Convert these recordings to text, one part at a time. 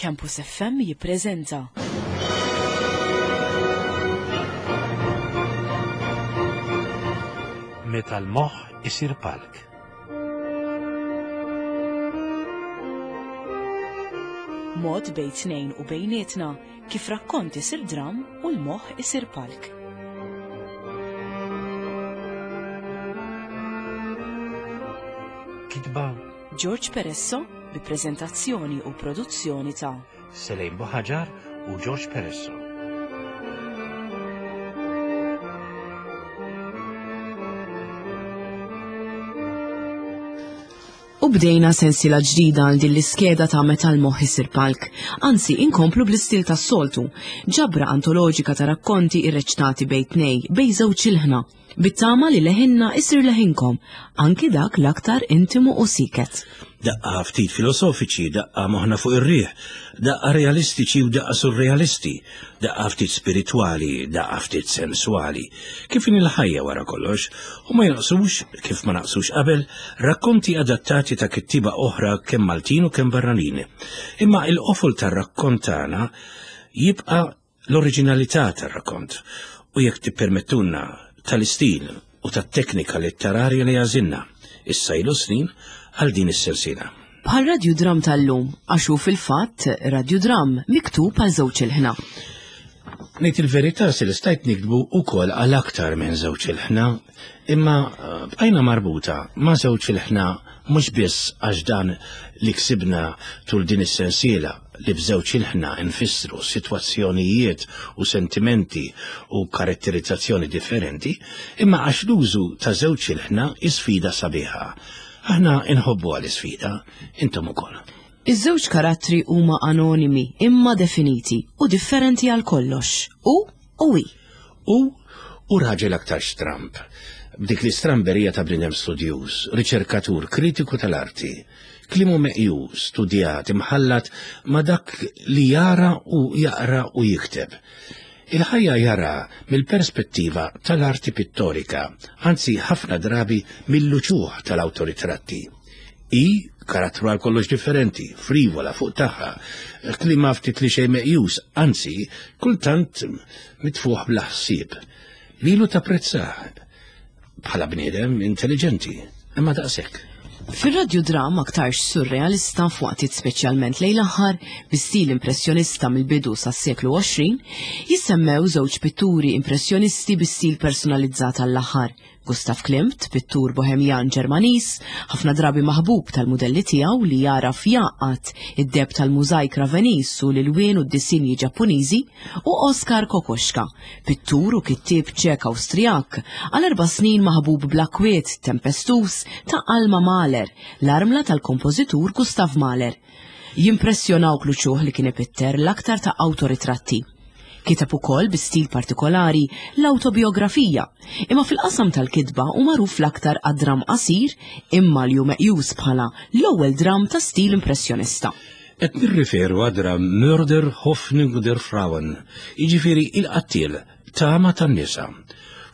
Campus FM jippreżenta. Meta l-moħħ isir palk. Mod bejn tnejn u bejnietna kif rakkont isir dram u l-moħħ isir palk. Kitba George Peresso bi preżentazzjoni u produzzjoni ta' Selejn Buħaġar u George Peresso. U bdejna sensiela ġdida għal din l-iskeda ta' meta l-moħħ isir palk. Anzi, inkomplu bl-istil tas-soltu. Ġabra antoloġika ta' rakkonti irreċtati bejn tnej, bejn żewġ ilħna. Bit-tama li leħinna isir leħinkom, anki dak l-aktar intimu u siket. Daqqa ftit filosofiċi, daqqa moħna fuq ir-riħ, daqqa realistiċi u daqqa surrealisti, daqqa ftit spiritwali, daqqa ftit sensuali. Kif in il-ħajja wara kollox, u ma jonqsux, kif ma naqsux qabel, rakkonti adattati ta' kittiba oħra kemm Maltin u kemm barranin. Imma il-qofol tar-rakkont tagħna jibqa' L-oriġinalità tar-rakkont, u jekk tippermettulna, tal-istil u tat-teknika letterarja li għażilna, issa ilu snin, għal din is-sensiela. Bħal radjudram tal-lum, għax hu fil-fatt radjudram miktub għal żewġ ilħna. Ngħid il-verità se li stajt niktbu wkoll għal aktar minn żewġ ilħna, imma eh, bqajna marbuta ma' żewġ ilħna mhux biss għax dan li ksibna tul din is-sensiela li b'żewġ ilħna nfissru sitwazzjonijiet u sentimenti u karatterizzazzjoni differenti, imma għax l-użu ta' żewġ ilħna hi sfida sabiħa. Aħna nħobbuha l-isfida, intom ukoll. Iż-żewġ karattri huma anonimi imma definiti u differenti għal kollox. Hu u hi. Hu hu raġel aktar stramb, b'dik l-istramberija ta' bniedem studjuż, riċerkatur, kritiku tal-arti. Kliemu meqjus, studjat, imħallat ma' dak li jara u jaqra u jikteb. Il-ħajja jaraha mill-perspettiva tal-arti pittorika, anzi ħafna drabi mill-uċuħ tal-awtoritratti. Hi karattru għal kollox differenti, frivola fuq tagħha, kliemha ftit li xejn meqjus, anzi kultant mitfuħ bla ħsieb. Lilu tapprezzah bħala bniedem intelliġenti, imma daqshekk. Fir-radjudram aktarx surrealista f'waqtiet speċjalment lejn l-aħħar, bi stil impressjonista mill-bidu sas-seklu 20, jissemmew żewġ pitturi impressjonisti bi stil personalizzat għall-aħħar, Gustav Klimt, pittur Bohemjan Ġermaniż, ħafna drabi maħbub tal-mudelli tiegħu li jagħraf jgħaqqad id-deheb tal-mużajk Raveniż u l-ilwien u d-disinji Ġappuniżi, u Oskar Kokoschka, pittur u kittieb Ċek-Awstrijak, għal erba' snin maħbub bla kwiet tempestuż ta' Alma Mahler, l-armla tal-kompożitur Gustav Mahler. Jimpressjonawk l-uċuħ li kien ipitter l-aktar ta' awtoritratti. Kiteb ukoll bi stil partikolari l-awtobijografija, imma fil-qasam tal-kitba hu magħruf l-aktar għad-dramm qasir imma li hu meqjus bħala l-ewwel dramm ta' stil impressjonista. Qed nirriferu għad-dramm Mörder Hoffnung der Frauen, jiġifieri Il-Qattiel, Tama tan-Nisa.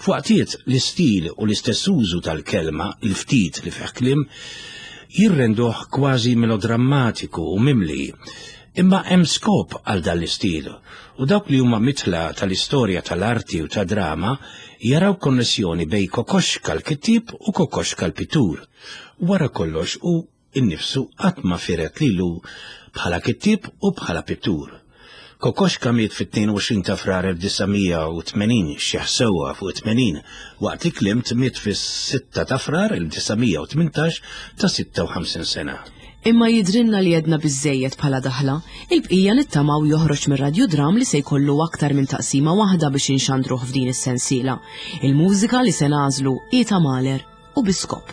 F'waqtiet l-istil u l-istess użu tal-kelma, il-ftit li fih kliem, jirrenduh kważi melodrammatiku u mimli. Imma hemm skop għal dan l-istil, u dawk li huma mitla tal-istorja tal-arti u tad-drama jaraw konnessjoni bejn Kokoschka l-kittieb u Kokoschka l-pittur. Wara kollox hu nnifsu qatt ma fired lilu bħala kittieb u bħala pittur. Kokoschka miet fit-22 ta' Frar 1980, xiħ sewwa fuq it-80, waqt li Klimt miet fis-6 ta' Frar 1918 ta' 56 sena. Imma jidhrilna li għedna biżżejjed bħala daħla, il-bqija nittamaw joħroġ mir-radjudram li se jkollu aktar minn taqsima waħda biex inxandruh f'din is-sensiela. Il-mużika li se nagħżlu hi ta' Mahler u bi skop.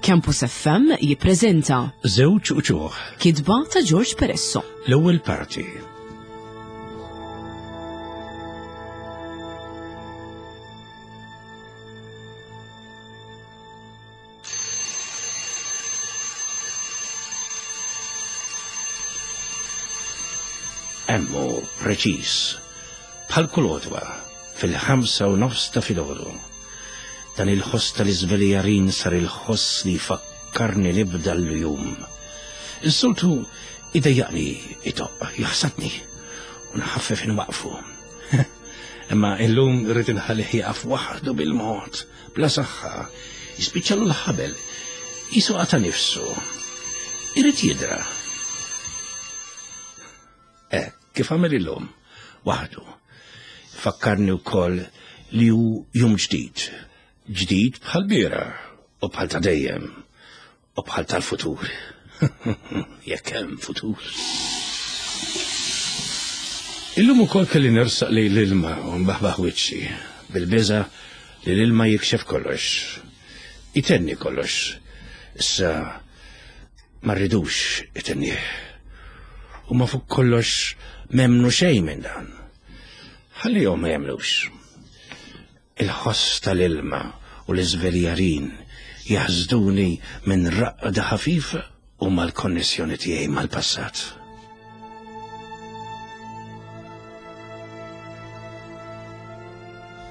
Campus FM jippreżenta Żewġ uċuħ. Kitba ta' George Peresso. L-ewwel parti. Hemm hu preċiż, bħal kull għodwa, fil-5:30 ta' filgħodu. Dan il-ħoss tal-iżveljarin sar il-ħoss li jfakkarni. Ifakkarni nibda l-jum. Is-soltu idejjaqni itoqq, jaħsadni u nħaffef inwaqfu. Imma illum irrid inħallih jaqaf waħdu bil-mod, bla saħħa, jispiċċalu l-ħabel, jisu qata' nifsu. Irid jidra. Hekk kif għamel illum, waħdu. Fakkarni wkoll li hu jum ġdid. Ġdid bħal bira u bħal ta' dejjem u bħal tal-futur. Jekk hemm futur. Illum ukoll kelli nersaq lejn l-ilma u nbaħbaħ wiċċi bil-biża li l-ilma jikxef kollox. Itenni kollox. Issa ma rridux itennih. U ma fuq kollox memnu xejn minn dan. Ħallihom ma jagħmlux. Il-ħoss tal-ilma u l-iżveljarin jaħsduni minn raqda ħafifa u mal-konnessjoni tiegħi mal-passat.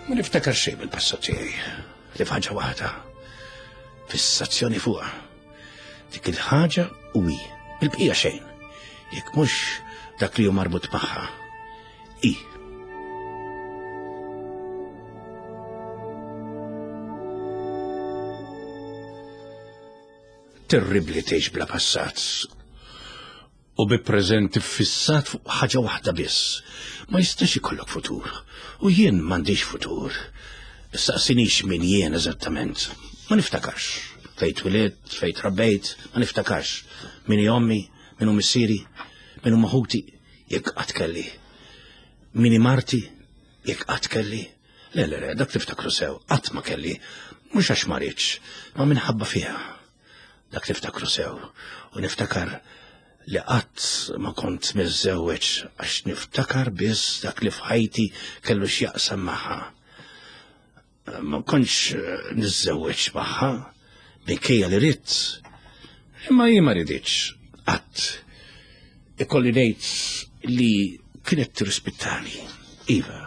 Ma niftakar xejn mill-passat tiegħi, li f'ħaġa waħda, fissazzjoni fuqha. Dik il-ħaġa u hi, il-bqija xejn, jekk mhux dak li hu marbut magħha. Hi. Terribbli tgħix bla passat u bi preżent iffissat fuq ħaġa waħda biss. Ma jistax ikollok futur. U jien m'għandix futur. Saqsinix min jien eżattament. Ma niftakarx. Fejn twilidt, fejn trabbejt, ma niftakarx. Min hi ommi, min hu missieri, min huma ħuti, jekk qatt kelli. Min hi marti, jekk qatt kelli. Le, le, le, dak tiftakru sew, qatt ma kelli. Mhux għax ma rridx, ma minħabba fiha. Dak niftakru sew u niftakar li qatt ma kont miżżewweġ għax niftakar biss dak li f'ħajti kellu x'jaqsam magħha. Ma kontx eh, niżżewweġ magħha minkejja li ridt. Imma hi ma riditx qatt. Ikolli ngħid li kienet tirrispettani. Iva,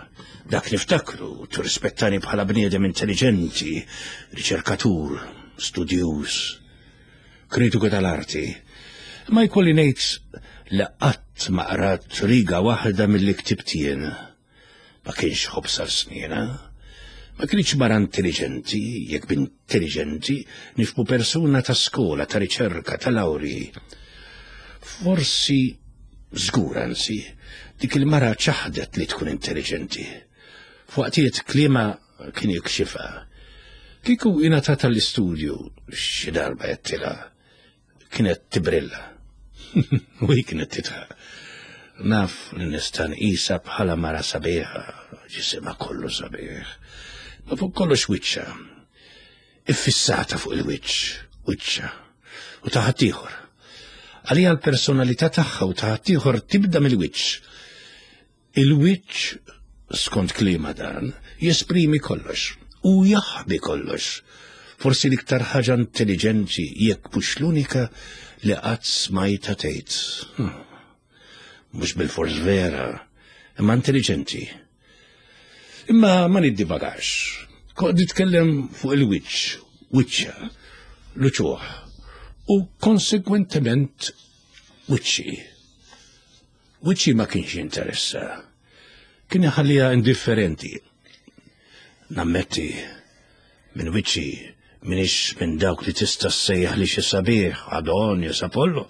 dak niftakru, tirrispettani bħala bniedem intelligenti, riċerkatur, studjuż, kritiku tal-arti. Ma jkolli ngħid li qatt ma qrat riga waħda mill-li ktibt jien. Ma kienx ħobż għal sniena. Ma kienx mara intelligenti, jekk b'intelligenti nifmu persuna ta' skola, ta' riċerka, ta' lawri. Forsi, żgur anzi, dik il-mara ċaħdet li tkun intelligenti. F'waqtiet kliema kien jikxifha. Kieku ingħatat l-istudju xi darba għedtilha, kienet tibrilla. U hi kienet titħaq. Naf li nista' nqisha bħala mara sabiħa, ġisimha kollu sabiħ. Ma fuq kollox wiċċha. Iffissata fuq il-wiċċ, wiċċha. U ta' ħaddieħor. Għalija l-personalità tagħha u ta' ħaddieħor tibda mill-wiċċ. Il-wiċċ, skont kliemha dan, jesprimi kollox u jaħbi kollox. Forsi l-iktar ħaġa intelliġenti, jekk mhux l-unika, li qatt smajtha tgħid. Hmm. Mhux bilfors vera, imma intelliġenti. Imma ma niddivagax. Kont nitkellem fuq il-wiċċ, wiċċa, l-uċuħ, u konsegwentement wiċċi. Wiċċi ma kienx jinteressa. Kien iħalliha indifferenti. Nammetti, minn wiċċi minix minn dawk li tista' ssejjaħ li xi sabiħ, Adonis, Apollo.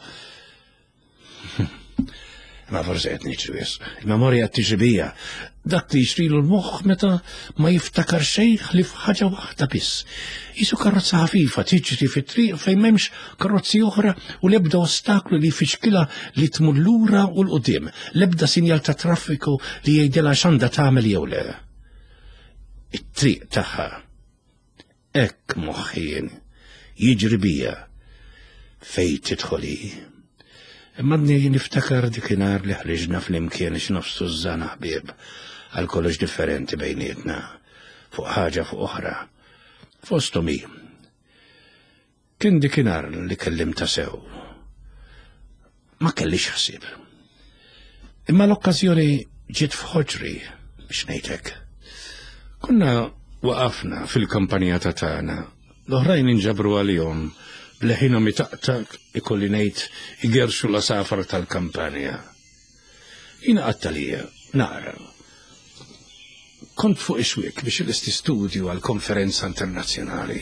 Ma forsi qed niġri wisq. Il-memorja qed tiġri bija. Dak li jiġrilu l-moħħ meta ma jiftakar xejn ħlief ħaġa waħda biss. Jisu karozza ħafifa tiġri fit-triq fejn m'hemmx karozzi oħra u l-ebda ostaklu li jfixkilha li tmur lura u 'l quddiem, l-ebda sinjal ta' traffiku li jgħidilha x'għandha tagħmel jew le. It-triq tagħha. Hekk moħħi jien jiġri bija fejn tidħol hi. Imma għadni niftakar dikinhar li ħriġna flimkien x'nofs tużżana ħbieb għal kollox differenti bejnietna, fuq ħaġa fuq oħra. Fosthom hi. Kien dikinhar li kellimtha sew. Ma kellix ħsieb. Imma l-okkażjoni ġiet f'ħoġri biex ngħidlek. Konna waqafna fil-kampanija ta' tagħna. L-oħrajn inġabru għalihom. Bleħinhom itaqtaq ikolli ngħid igerxu l-għasafar tal-kampanja. Jiena qatt għalija naqra. Kont fuq ix-xwiek biex ilesti studju għal konferenza internazzjonali.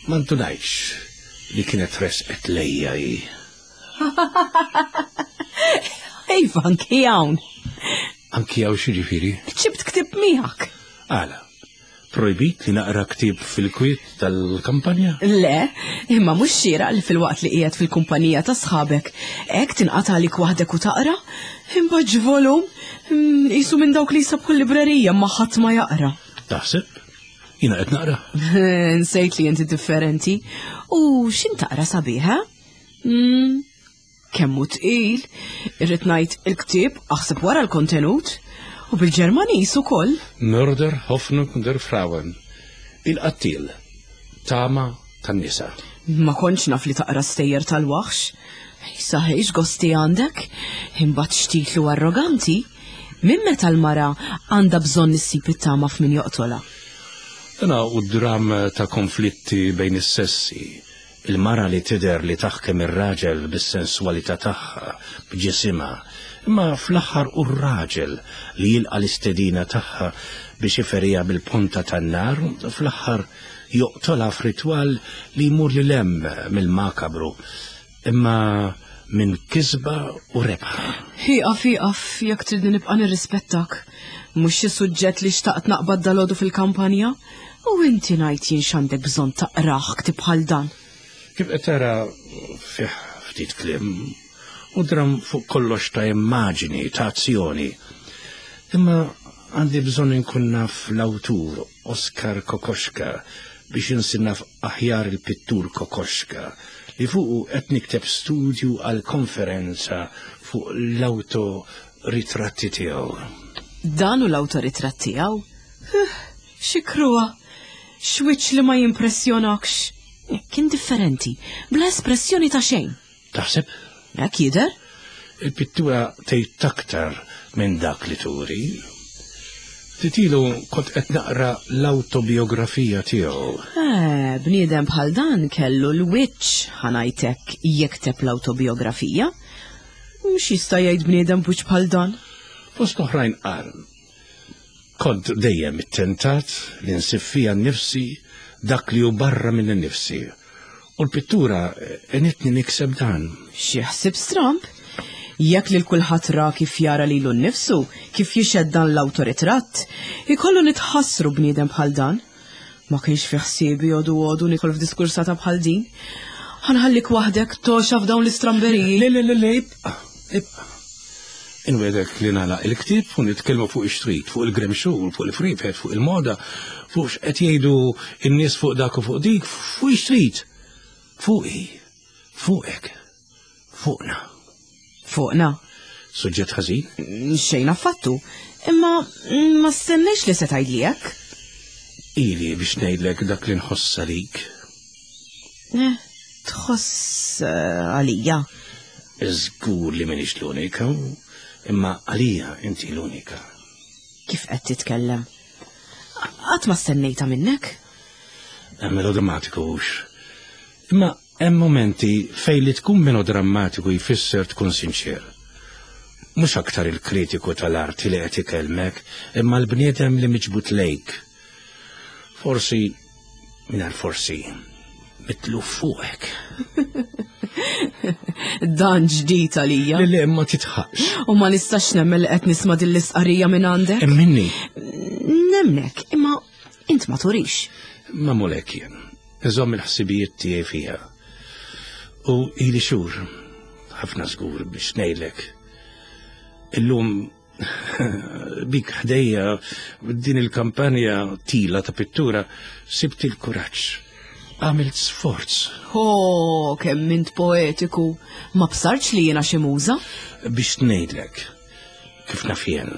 Ma ndunajtx li kienet resqet lejja hi. Iva, anki hawn. Anki hawn x'jiġifieri? Ġibt ktieb miegħek. Għala? Projbit li naqra ktieb fil-kwiet tal-kampanja? Le, imma mhux xieraq li filwaqt li qiegħed fil-kumpanija ta' sħabek, hekk tinqata' għalik waħdek u taqra? Imbagħad x'volum! Mm, qisu minn dawk li jsabħu l-librerija ma ħadd ma jaqra. Taħseb? Jiena qed naqra. Nsejt li inti differenti. U x'in taqra sabiħa? Mm, Kemm hu tqil, irrid ngħid il-ktieb aħseb wara l-kontenut u bil-Ġermaniż ukoll. Mörder, Hoffnung der Frauen. Il-qattiel. Tama tan-nisa. Ma kontx naf li taqra stejjer tal-waħx. Saħiex gosti għandek, imbagħad x'titlu arroganti. Minn meta l-mara għandha bżonn issib it-tama f'min joqtolha? Dan hu d-dramm ta' konflitti bejn is-sessi. Il-mara li tidher li taħkem ir-raġel bis-senswalità tagħha, b'ġisimha, imma fl-aħħar hu r-raġel li jilqa' l-istedina tagħha biex iferiha bil-ponta tan-nar u fl-aħħar joqtolha f'ritwal li jmur lil hemm mill-makabru, imma minn kisba u rebħa. Ieqaf, ieqaf, jekk tridni nibqa' nirrispettak. Mhux xi suġġett li xtaqt naqbad dalgħodu fil-kampanja. U inti ngħid jien x'għandek bżonn taqrah ktieb bħal dan. Kif qed tara fih ftit kliem u dram fuq kollox ta' immaġini, ta' azzjoni. Imma għandi bżonn inkun naf l-awtur Oskar Kokoschka biex insir naf aħjar il-pittur Kokoschka li fuqu qed nikteb studju għal konferenza fuq l-awtoritratti tiegħu. Dan hu l-awtoritratt tiegħu? Xi kruha! X'wiċċ li ma jimpressjonakx! Kien differenti, bla espressjoni ta' xejn. Taħseb? Hekk jidher. Il-pittura tgħid aktar minn dak li turi. Ftit ilu kont qed naqra l-awtobiografija tiegħu. Eh, bniedem bħal dan kellu l-wiċċ ħa ngħid hekk jikteb l-awtobiografija. Mhux jista' jgħid bniedem b'wiċċ bħal dan. Fost oħrajn qal, Kont dejjem ittentat li nsib fija nnifsi dak li hu barra minni nnifsi. U l-pittura għenitni nikseb dan. Xi ħsieb stramb! Jekk lil kulħadd ra kif jara lilu nnifsu, kif jixhed dan l-awtoritratt, ikollu nitħassru bniedem bħal dan. Ma kienx fi ħsiebi għodu għodu nidħol f'diskursata bħal din. Ħa nħallik waħdek togħxa f'dawn l-istramberiji. Le, le, le, le, ibqa', ibqa'. Inwegħdek li nagħlaq il-ktieb u nitkellmu fuq ix-xtrid, fuq il-gremxul, fuq il-friefet, fuq il-moda, fuq x'qed jgħidu n-nies fuq dak u fuq dik, fuq ix-xtrid. Fuqi, fuqek, fuqna. Fuqna? Suġġett ħażin? Xejn affattu, imma ma stennejx li se tgħidli hekk. Ili biex ngħidlek dak li nħoss għalik. Eh, tħoss eh, għalija. Żgur li m'iniex l-unika, imma għalija inti l-unika. Kif qed titkellem? Qatt ma stennejta minnek? Melodrammatiku hux. Imma hemm momenti fejn li tkun melodrammatiku jfisser tkun sinċier. Mhux aktar il-kritiku tal-arti li qed ikellmek, imma l-bniedem li miġbud lejk. Forsi Mingħajr forsi, mitluf fuqek. Dan ġdid għalija. Le, le, ma titħaqx. U ma nistax nemmen li qed nisma' din l-istqarrija minn għandek. Emminni. Nemnek, imma int ma turix. Ma mulek jien. Iżomm il-ħsibijiet tiegħi fija. U ili xhur, ħafna żgur biex ngħidlek. Illum Bik ħdejja din il-kampanja tila ta' pittura sibt il-kuraġġ. Għamilt sforz. Oh, kemm int poetiku. Ma bsartx li jiena xi muża? Biex ngħidlek, kif naf jien,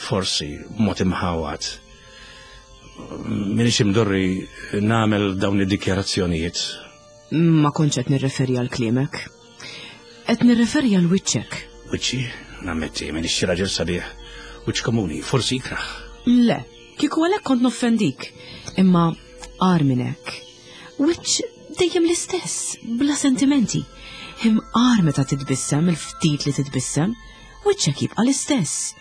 forsi b'mod imħawad. Minix imdorri nagħmel dawn id-dikjarazzjonijiet. Ma kontx qed nirreferi għal kliemek. Qed nirreferi għal wiċċek. Wiċċi, nammetti, minn xi raġel sabiħ. Wiċċ komuni, forsi ikrah. Le, kieku għalhekk kont noffendik. Imma agħar minn hekk. Wiċċ Dejjem l-istess, bla sentimenti. Imqar meta titbissem il-ftit li titbissem, wiċċek jibqa' l-istess.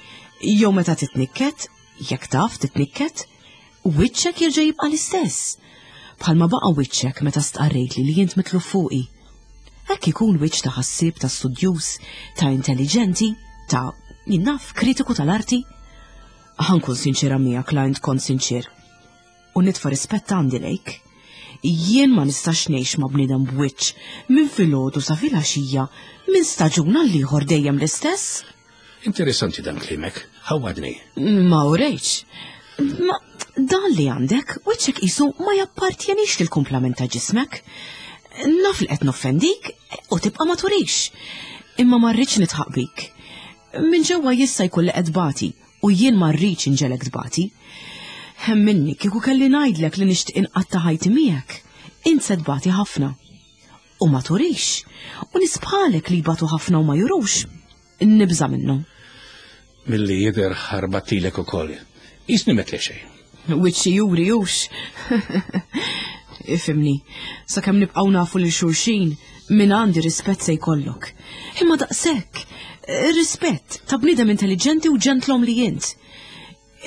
Jew meta titnikket, jekk taf titnikket, wiċċek jerġa' jibqa' l-istess. Bħalma baqa' wiċċek meta stqarrejtli li int mitluf fuqi. Hekk ikun wiċċ ta' ħassieb, ta' studjuż, ta' intelliġenti, ta' jien naf, kritiku tal-arti. Ħa nkun sinċiera miegħek la int kont sinċier. U nitfa' rispett għandi lejk. Jien ma nistax ngħix ma' bniedem b'wiċċ minn filgħodu sa filgħaxija, minn staġun għal ieħor dejjem l-istess. Interessanti dan kliemek, ħawwadni. Ma urejtx. Ma dan li għandek, wiċċek qisu ma jappartjenix lill-kumplament ta' ġismek. Naf li qed noffendik u tibqa' ma turix. Imma ma rridx nidħaq bik. Minn ġewwa jista' jkun li qed tbati u jien ma rridx inġegħlek tbati. Emminni kieku kelli ngħidlek li nixtieq inqatta' ħajti miegħek, int se tbati ħafna. U ma turix. U nies bħalek li jbatu ħafna u ma jurux, nibża' minnhom. Milli jidher ħarbattilek ukoll. Qisni m'għedtlek xejn. Wiċċi juri hux. Ifhimni, sakemm nibqgħu nafu lil xulxin, minn għandi rispett se jkollok. Imma daqshekk, rispett ta' bniedem intelliġenti u ġentlom li int.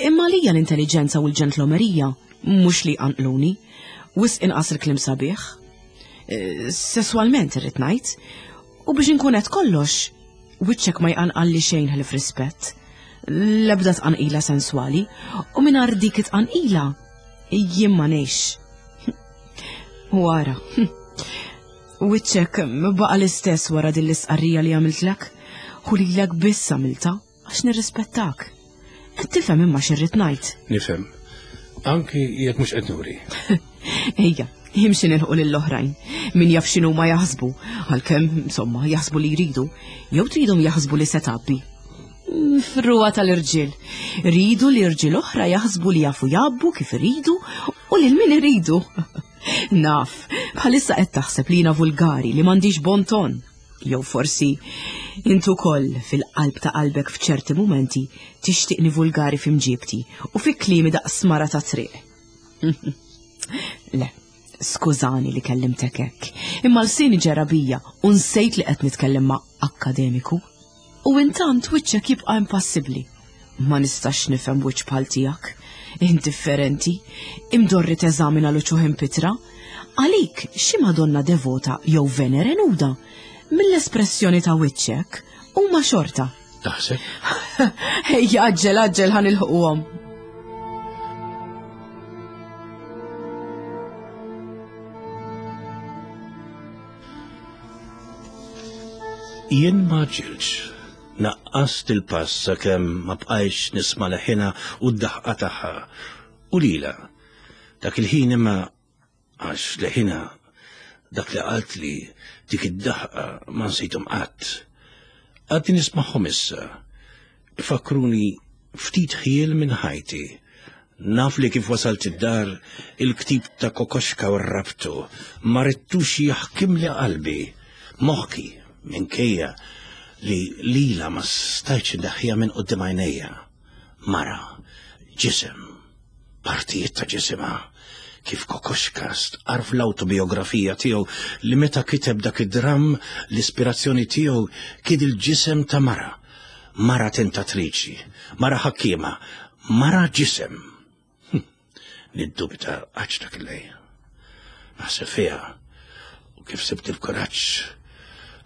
Imma għalija l-intelliġenza u l-ġentlomerija mhux li jqanqluni, wisq inqas il-kliem sabiħ. Eh, sesswalment irrid ngħid, u biex inkun qed kollox, wiċċek ma jqanqalli xejn ħlief rispett. L-ebda tqanqila senswali, u mingħajr dik it-tqanqila jien ma ngħix. U ara, wiċċek baqa' l-istess wara din l-istqarrija li għamiltlek, u lilek biss għamilta. Għax nirrispettak. Qed tifhem imma x'irrid ngħid. Nifhem. Anki jekk mhux qed nuri. Ejja, jimxi nilħu lill-oħrajn. Min jaf x'inhu ma jaħsbu, għalkemm insomma jaħsbu li jridu, jew tridhom jaħsbu li se tgħabbi. Mm, Frua tal-irġiel. Ridu li irġiel oħra jaħsbu li jafu jabbu kif iridu u lil min iridu. Naf, bħalissa qed taħseb li jiena vulgari li m'għandix bon ton. Jew forsi int ukoll fil-qalb ta' qalbek f'ċerti mumenti tixtieqni vulgari fi mġiebti u fi kliemi daqs mara ta' triq. Le, skużani li kellimtek hekk, imma lsieni ġera bija u nsejt li qed nitkellem ma' akkademiku. U intant wiċċek jibqa' impassibbli. Ma nistax nifhem wiċċ bħal tiegħek. Indifferenti, imdorri teżamina l-uċuħ impitra. Għalik xi Madonna devota jew Venere nuda. Mill-espressjoni ta' wiċċek huma xorta. Taħseb? Ejja, aġġel, aġġel ħa nilħquhom. Jien ma ġilx. Naqqast il-pass sakemm ma bqajtx nisma' leħinha u d-daħqa tagħha. U lilha. Dak il-ħin imma għax leħinha dak li qaltli dik id-daħqa ma nsejthom qatt. Għadni nismagħhom issa. Ifakkruni ftit ħjiel minn ħajti. Naf li kif wasalt id-dar, il-ktib ta' Kokoschka warrabtu, ma ridtux jaħkimli qalbi, moħħi, minkejja li lilha ma stajtx inneħħiha minn quddiem għajnejja. Mara, ġisem, partijiet ta' ġisimha, kif Kokoschka stqarr fl-awtobijografija tiegħu li meta kiteb dak id-dramm l-ispirazzjoni tiegħu kien il-ġisem ta' mara. Mara tentatriċi, mara ħakkiema, mara ġisem. Hm, niddubita għax dak il-lej. Naħseb fiha u kif sibt il-kuraġġ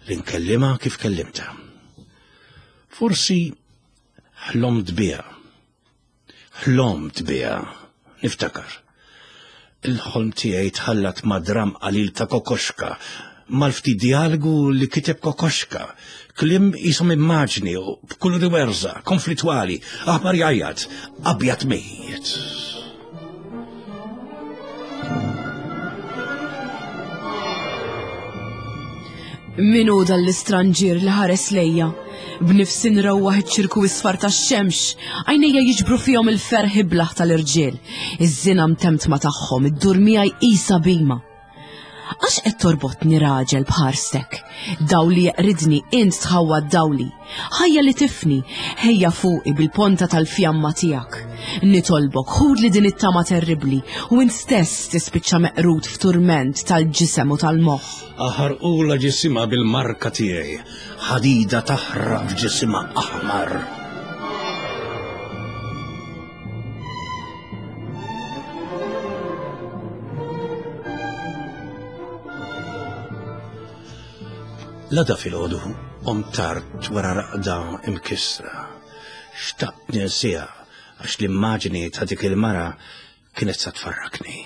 li nkellimha kif kellimtha. Forsi ħlomt biha. Ħlomt biha, niftakar. Il-ħolm tiegħi tħallat ma' dramm qalil ta' Kokoschka, mal-ftit dialgu li kiteb Kokoschka, kliem qishom immaġni u b'kull riwerża, konflittwali, aħmar jgħajjat, abjad mejjet. Min hu dan l-istranġier li ħares lejja? B'nifsi nrewwaħ iċ-ċirku isfar tax-xemx, għajnejja jiġbru fihom il-ferħ iblah tal-irġiel. Iż-żina mtemtma tagħhom iddur miegħi qisha bima. Għax qed torbotni raġel b'ħarstek? Dawl li jeqridni int tħawwad dawli. Ħajja li tifni, ħejja fuqi bil-ponta tal-fjamma tiegħek. Nitolbok, ħudli din it-tama terribbli u int stess tispiċċa meqrud f'turment tal-ġisem u tal-moħħ. Aħarqulha ġisimha bil-marka tiegħi, ħadida taħraq f'ġisimha aħmar. L-għada filgħodu qomt tard wara raqda imkissra. Xtaqt ninsiha għax l-immaġini ta' dik il-mara kienet sa tfarrakni.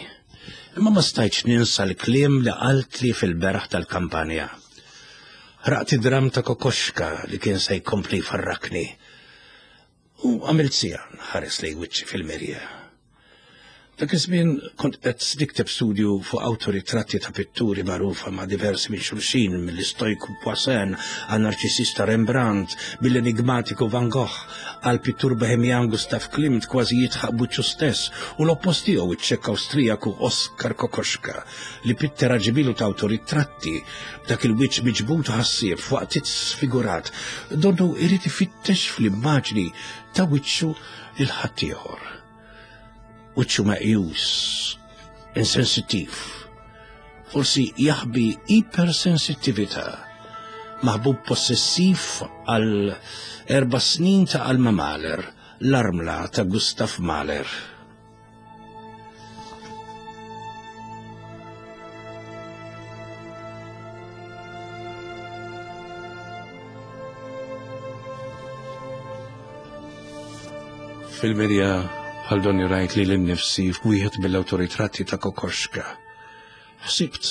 Imma ma stajtx ninsa l-kliem li qaltli fil-beraħ tal-kampanja. Ħraqt id-dram ta' Kokoxka li kien se jkompli jfarrakni. U għamilt siegħa nħares lejn wiċċi fil-mirja. Dak iż-żmien kont qed nikteb studju fuq awtoritratti ta' pitturi magħrufa ma' diversi minn xulxin mill-istojku Poisson għal narċissista Rembrandt, mill-enigmatiku Van Gogh għal pittur bohemian Gustav Klimt kważi jidħaq b'wiċċu stess u l-oppost tiegħu iċ-Ċek Awstrijaku Oskar Kokoschka li pittera ġibilu ta' awtoritratti b'dak il-wiċċ miġbud u ħassieb f'waqtiet sfigurat donnu irid ifittex fl-immaġni ta' wiċċu lil ħaddieħor. Wiċċu meqjus, insensittiv, forsi jaħbi ipersensittività, maħbub possessiv għal erba' snin ta' Alma Mahler, l-armla ta' Gustav Mahler. Fil-mirja bħal donni rajt li l-nifsi f'wieħed mill-awtoritratti ta' Kokoxka. Ħsibt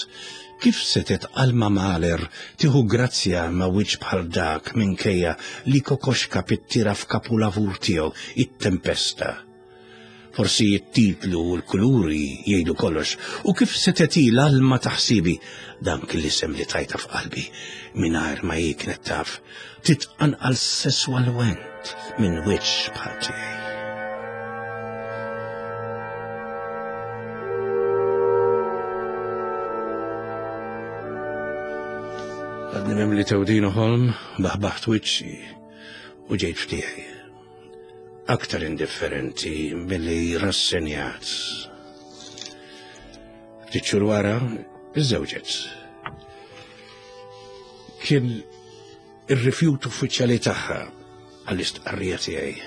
kif setet Alma Mahler tieħu grazzja ma' wiċċ bħal dak minkejja li Kokoxka pittira f'kapulavur tiegħu it-tempesta. Forsi t-titlu u l-kuluri jgħidu kollox, u kif setgħet hi l-alma ta' ħsiebi, dan kien l-isem li tajtha f'qalbi, mingħajr ma hi kienet taf, titqanqal sesswalwent minn wiċċ bħal tiegħi. Għadni mimli tewdin u ħolm, baħbaħt wiċċi u ġejt ftiegħi. Aktar indifferenti milli rassenjat. Ftit xhur wara, iżżewġet. Kien ir-rifjut uffiċjali tagħha għall-istqarrija tiegħi.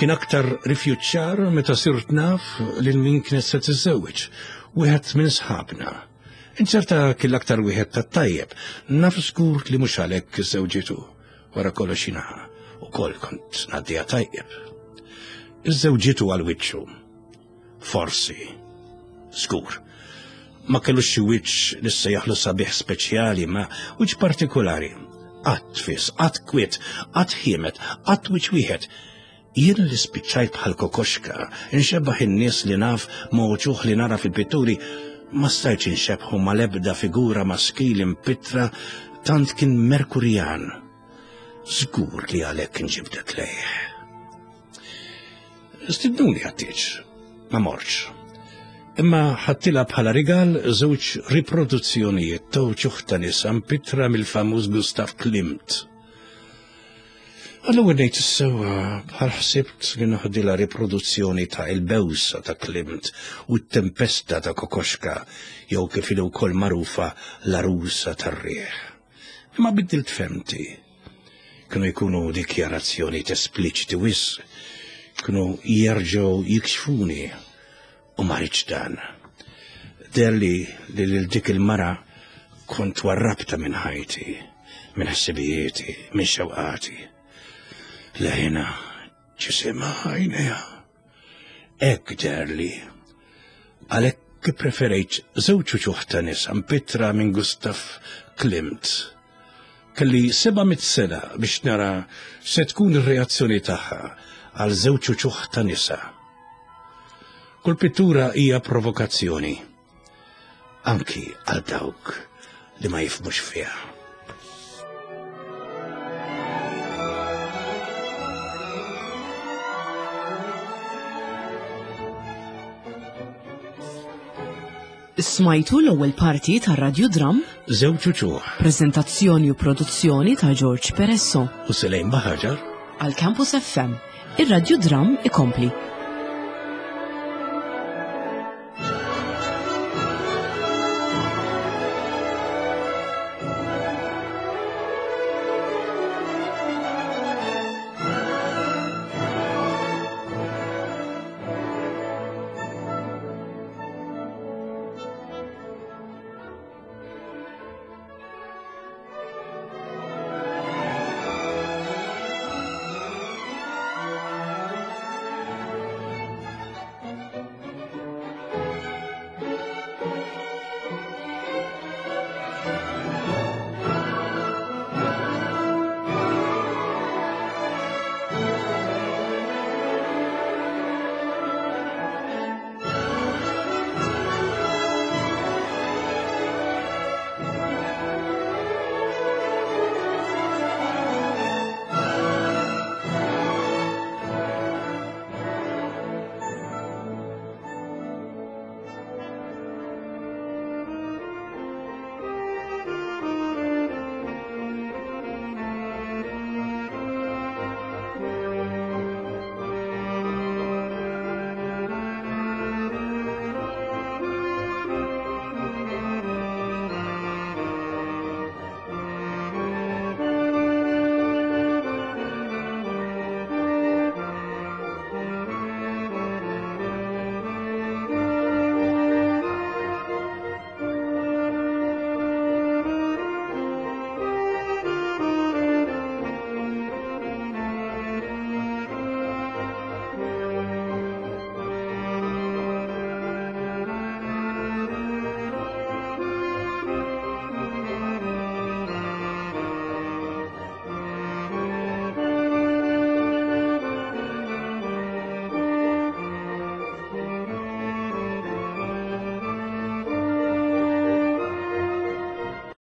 Kien aktar rifjut ċar meta sirt naf lil min kienet se tiżżewweġ, wieħed minn sħabna. Inċerta kien l-aktar wieħed tat-tajjeb, naf żgur li mhux għalhekk iżżewġitu. Wara kollox jiena ukoll kont ngħaddiha tajjeb. Iżżewġitu għal wiċċu. Forsi. Żgur. Ma kellux xi wiċċ li sejjaħlu sabiħ speċjali, ma wiċċ partikolari. Qatt fis, qatt kwiet, qatt ħiemet, qatt wiċċ wieħed. Jien li spiċċajt bħal kokoxka, nxebbaħ in-nies li naf ma' uċuħ li nara fil-pitturi, ma stajtx inxebbħu mal-ebda figura maskili mpittra tant kien Merkurjan. Żgur li għalhekk inġibdet lejh. Stidnuni għat-tieġ, ma mortx. Imma ħadtilha bħala rigal żewġ riproduzzjonijiet ta' uċuħ ta' nisa mpittra mill-famuż Gustav Klimt. Għall-ewwel ngħid is-sewwa bħal ħsibt li noħdilha riproduzzjoni ta' Il-Bewsa ta' Klimt u t-Tempesta ta' Kokoschka jew kif inhi wkoll magħrufa L-Għarusa tar-Riħ. Imma biddilt fehmti. Kienu jkunu dikjarazzjonijiet espliċiti wisq, kienu jerġgħu jikxfuni u ma rridx dan. Deherli li lil dik il-mara kont warrabta minn ħajti, minn ħsibijieti, minn xewqati. Leħinha, ġisimha, għajnejha. Hekk deherli. Għalhekk ippreferejt żewġ uċuħ ta' nisa mpittra minn Gustav Klimt. Kelli 700 sena biex nara se tkun ir-reazzjoni tagħha għal żewġ uċuħ ta' nisa. Kull pittura hija provokazzjoni, anki għal dawk li ma jifhmux fiha. Smajtu l-ewwel parti tar-radjudram Żewġ uċuħ. Preżentazzjoni u produzzjoni ta' George Peresso. U Selejn Baħaġar. Għal Campus FM, ir-radjudram ikompli.